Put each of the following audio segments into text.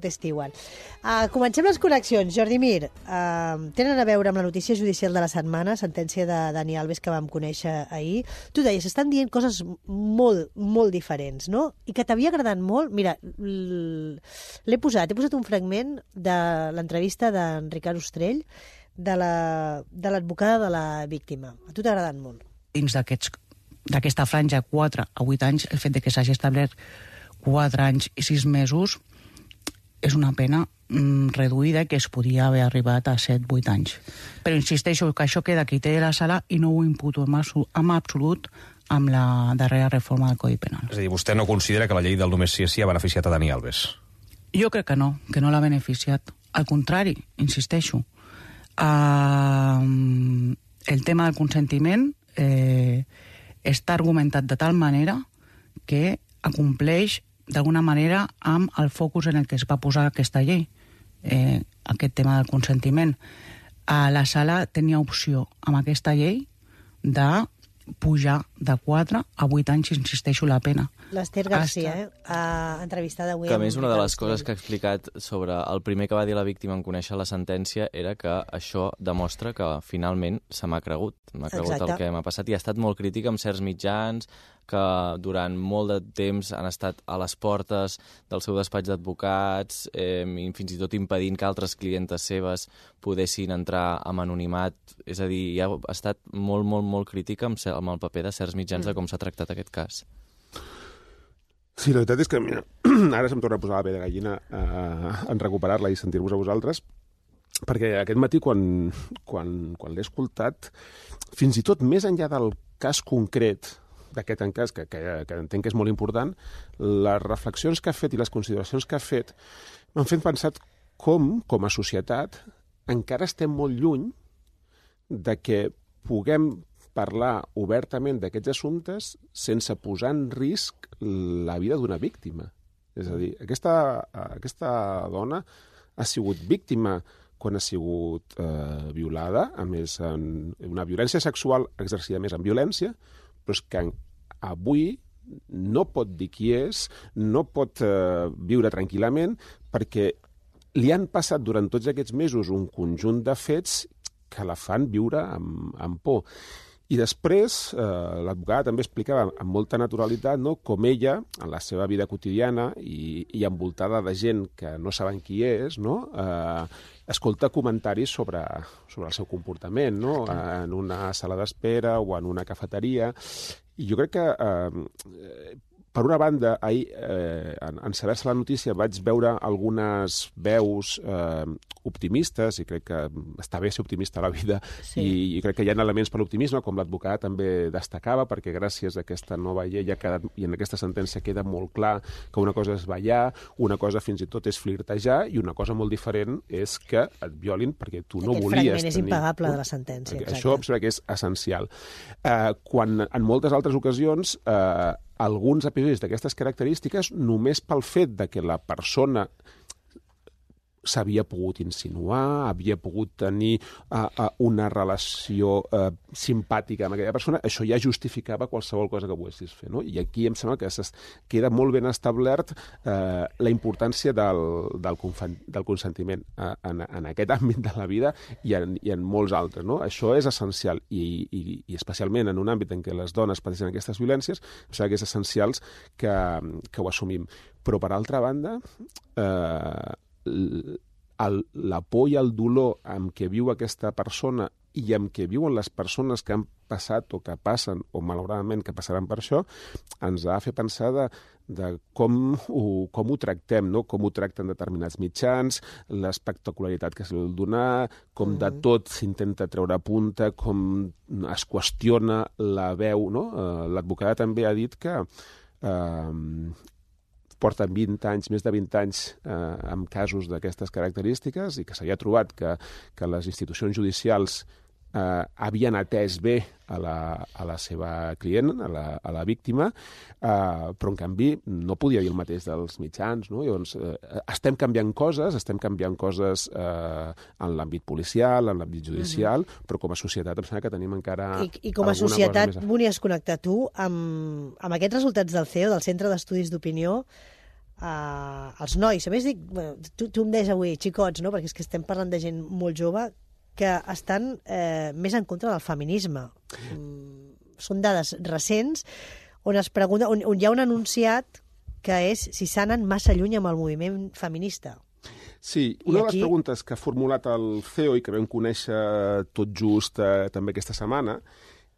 Testi igual. Comencem les connexions. Jordi Mir, tenen a veure amb la notícia judicial de la setmana, sentència de Dani Alves que vam conèixer ahir. Tu deies, estan dient coses molt, molt diferents, no? I que t'havia agradat molt. Mira, he posat un fragment de l'entrevista d'en Ricard Ostrell de l'advocada de la víctima. A tu t'ha agradat molt. Dins d'aquesta franja 4 a 8 anys, el fet de que s'hagi establert 4 anys i 6 mesos és una pena reduïda que es podia haver arribat a 7-8 anys. Però insisteixo que això queda a criteri de la sala i no ho imputo en absolut amb la darrera reforma del Codi Penal. És a dir, vostè no considera que la llei del només sí és sí ha beneficiat a Dani Alves? Jo crec que no l'ha beneficiat. Al contrari, insisteixo, el tema del consentiment està argumentat de tal manera que acompleix d'alguna manera amb el focus en el que es va posar aquesta llei, aquest tema del consentiment. La sala tenia opció amb aquesta llei de pujar de 4 a 8 anys, insisteixo, la pena. L'Ester Garcia, entrevistada avui. Que a més, una de les coses que ha explicat sobre el primer que va dir la víctima en conèixer la sentència era que això demostra que finalment se m'ha cregut. M'ha cregut el que m'ha passat i ha estat molt crítica amb certs mitjans que durant molt de temps han estat a les portes del seu despatx d'advocats, fins i tot impedint que altres clientes seves poguessin entrar amb anonimat. És a dir, ha estat molt, molt, molt crítica amb el paper de certs mitjans de com s'ha tractat aquest cas. Sí, la veritat és que mira, ara se'm torna a posar la pell de gallina en recuperar-la i sentir-vos a vosaltres, perquè aquest matí, quan l'he escoltat, fins i tot més enllà del cas concret d'aquest encàs, que entenc que és molt important, les reflexions que ha fet i les consideracions que ha fet m'han fet pensar com a societat, encara estem molt lluny de que puguem parlar obertament d'aquests assumptes sense posar en risc la vida d'una víctima. És a dir, aquesta dona ha sigut víctima quan ha sigut violada, a més, una violència sexual exercida més en violència, però és que avui no pot dir qui és, no pot viure tranquil·lament, perquè li han passat durant tots aquests mesos un conjunt de fets que la fan viure amb por. I després, l'advocada també explicava amb molta naturalitat com ella, en la seva vida quotidiana i envoltada de gent que no saben qui és, escolta comentaris sobre el seu comportament, en una sala d'espera o en una cafeteria. I jo crec que, per una banda, ahir, en saber-se la notícia, vaig veure algunes veus optimistes, i crec que està bé ser optimista a la vida, i crec que hi ha elements per l'optimisme, com l'advocat també destacava, perquè gràcies a aquesta nova llei i en aquesta sentència queda molt clar que una cosa és ballar, una cosa fins i tot és flirtejar, i una cosa molt diferent és que et violin perquè tu no volies tenir... Aquest fragment és impagable de la sentència. Això em sembla que és essencial. Quan en moltes altres ocasions alguns episodis d'aquestes característiques, només pel fet de que la persona s'havia pogut insinuar, havia pogut tenir una relació simpàtica amb aquella persona, això ja justificava qualsevol cosa que poguessis fer. I aquí em sembla que queda molt ben establert la importància del consentiment en aquest àmbit de la vida i en molts altres. Això és essencial i especialment en un àmbit en què les dones pateixen aquestes violències, em sembla que és essencial que ho assumim. Però, per altra banda, la por i el dolor amb què viu aquesta persona i amb què viuen les persones que han passat o que passen, o malauradament que passaran per això, ens ha de fer pensar de com ho tractem, com ho tracten determinats mitjans, l'espectacularitat que se li vol donar, com de tot s'intenta treure punta, com es qüestiona la veu. L'advocada també ha dit que porten 20 anys, més de 20 anys amb casos d'aquestes característiques i que s'havia trobat que les institucions judicials havien atès bé a la seva client, a la víctima, però en canvi no podia dir el mateix dels mitjans. Llavors, estem canviant coses en l'àmbit policial, en l'àmbit judicial, però com a societat em sembla que tenim encara I com a societat volies connectar tu amb aquests resultats del CEO, del Centre d'Estudis d'Opinió, els nois, a més dic, tu em deies avui, xicots, no? Perquè és que estem parlant de gent molt jove que estan més en contra del feminisme. Són dades recents on es pregunta, on hi ha un enunciat que és si s'anen massa lluny amb el moviment feminista. Sí, una de les preguntes que ha formulat el CEO i que vam conèixer tot just també aquesta setmana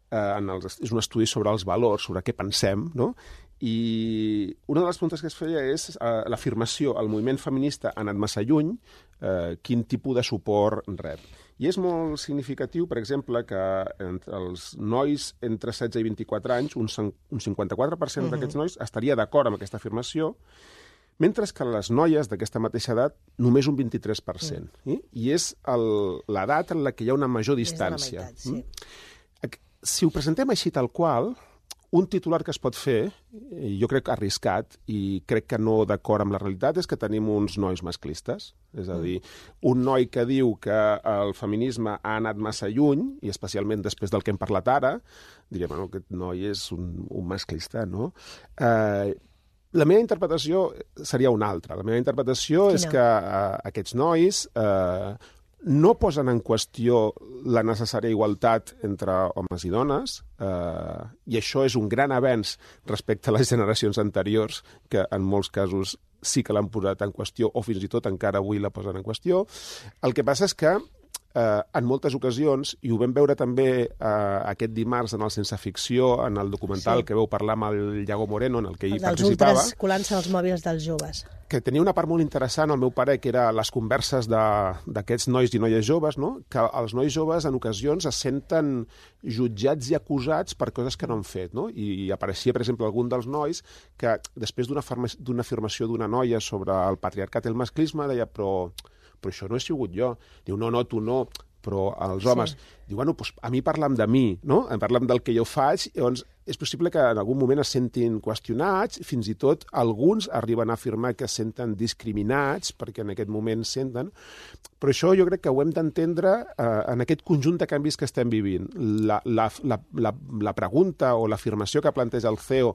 és un estudi sobre els valors, sobre què pensem, no? I una de les preguntes que es feia és l'afirmació, el moviment feminista ha anat massa lluny, quin tipus de suport rep. I és molt significatiu, per exemple, que entre els nois entre 16 i 24 anys, un 54% d'aquests nois estaria d'acord amb aquesta afirmació, mentre que les noies d'aquesta mateixa edat només un 23%. I és l'edat en la que hi ha una major distància. És de la meitat, sí. Si ho presentem així tal qual, un titular que es pot fer, jo crec arriscat, i crec que no d'acord amb la realitat, és que tenim uns nois masclistes. És a dir, un noi que diu que el feminisme ha anat massa lluny, i especialment després del que hem parlat ara, diria, bueno, aquest noi és un masclista, no? La meva interpretació seria una altra. La meva interpretació és que aquests nois no posen en qüestió la necessària igualtat entre homes i dones, i això és un gran avenç respecte a les generacions anteriors, que en molts casos sí que l'han posat en qüestió, o fins i tot encara avui la posen en qüestió. El que passa és que en moltes ocasions, i ho vam veure també aquest dimarts en el Sense Ficció, en el documental que vau parlar amb el Iago Moreno, en el que ell participava... Els ultras colant-se als mòbils dels joves. Que tenia una part molt interessant, al meu parer, que era les converses d'aquests nois i noies joves, no? Que els nois joves en ocasions es senten jutjats i acusats per coses que no han fet, no? I apareixia, per exemple, algun dels nois que després d'una afirmació d'una noia sobre el patriarcat i el masclisme deia, però això no he sigut jo. Diu, no, tu no, però els homes... Diu, bueno, doncs a mi parlem de mi, no? Parlem del que jo faig, llavors és possible que en algun moment es sentin qüestionats, fins i tot alguns arriben a afirmar que es senten discriminats, perquè en aquest moment senten, però això jo crec que ho hem d'entendre en aquest conjunt de canvis que estem vivint. La pregunta o l'afirmació que planteja el CEO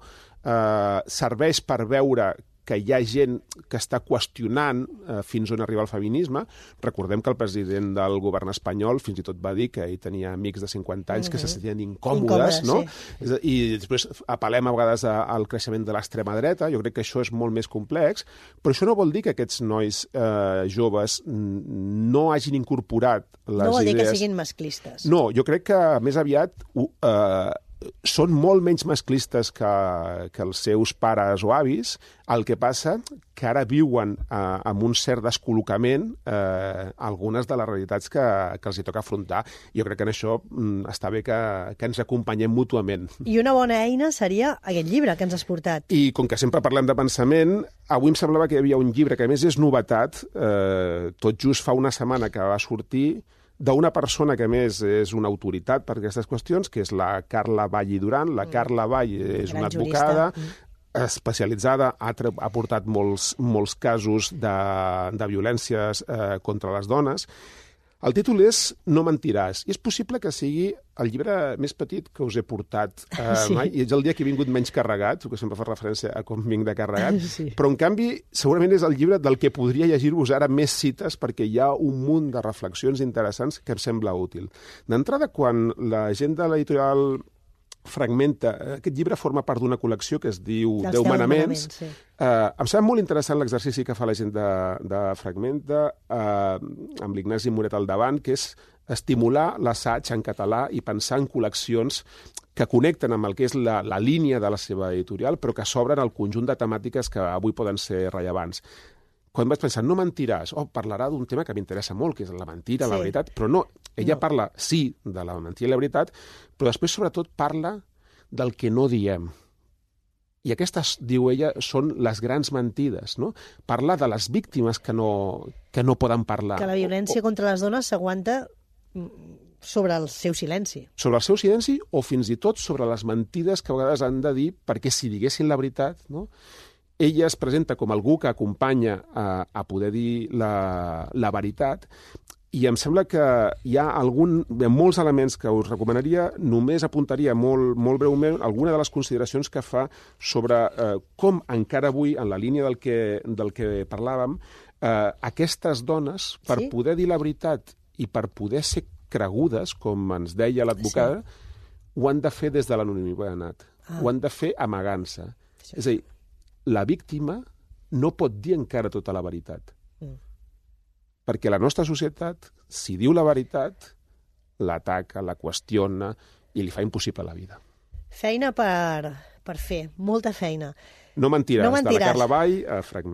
serveix per veure que hi ha gent que està qüestionant fins on arriba el feminisme. Recordem que el president del govern espanyol fins i tot va dir que ell tenia amics de 50 anys que se sentien incòmodes, no? Sí. I després apel·lem a vegades al creixement de l'extrema dreta. Jo crec que això és molt més complex, però això no vol dir que aquests nois joves no hagin incorporat les idees... No vol dir que siguin masclistes. No, jo crec que més aviat són molt menys masclistes que els seus pares o avis. El que passa que ara viuen amb un cert descol·locament algunes de les realitats que els hi toca afrontar. Jo crec que en això està bé que ens acompanyem mútuament. I una bona eina seria aquest llibre que ens has portat. I com que sempre parlem de pensament, avui em semblava que hi havia un llibre que a més és novetat, tot just fa una setmana que va sortir, d'una persona que, a més, és una autoritat per aquestes qüestions, que és la Carla Vall i Duran. La Carla Vall és una advocada especialitzada, ha portat molts casos de violències contra les dones. El títol és No mentiràs, i és possible que sigui el llibre més petit que us he portat mai, i és el dia que he vingut menys carregat, que sempre fa referència a com vinc de carregat, però en canvi segurament és el llibre del que podria llegir-vos ara més cites, perquè hi ha un munt de reflexions interessants que em sembla útil. D'entrada, quan la gent de l'editorial Fragmenta, aquest llibre forma part d'una col·lecció que es diu 10 manaments. Em sembla molt interessant l'exercici que fa la gent de Fragmenta amb l'Ignasi Moret al davant, que és estimular l'assaig en català i pensar en col·leccions que connecten amb el que és la línia de la seva editorial, però que s'obren al conjunt de temàtiques que avui poden ser rellevants. Quan vaig pensar, no mentiràs, parlarà d'un tema que m'interessa molt, que és la mentira, la veritat, però no, ella parla, sí, de la mentira i la veritat, però després, sobretot, parla del que no diem. I aquestes, diu ella, són les grans mentides, no? Parla de les víctimes que no poden parlar. Que la violència contra les dones s'aguanta sobre el seu silenci. Sobre el seu silenci o fins i tot sobre les mentides que a vegades han de dir, perquè si diguessin la veritat, no? Ella es presenta com algú que acompanya a poder dir la veritat, I em sembla que hi ha molts elements que us recomanaria, només apuntaria molt breument alguna de les consideracions que fa sobre com encara avui, en la línia del que parlàvem, aquestes dones, per poder dir la veritat i per poder ser cregudes, com ens deia l'advocada, ho han de fer des de l'anonimat. Ho han de fer amagant-se. És a dir, la víctima no pot dir encara tota la veritat. Perquè la nostra societat, si diu la veritat, l'ataca, la qüestiona i li fa impossible la vida. Feina per fer, molta feina. No mentiràs, de la Carla Vall a Fragment.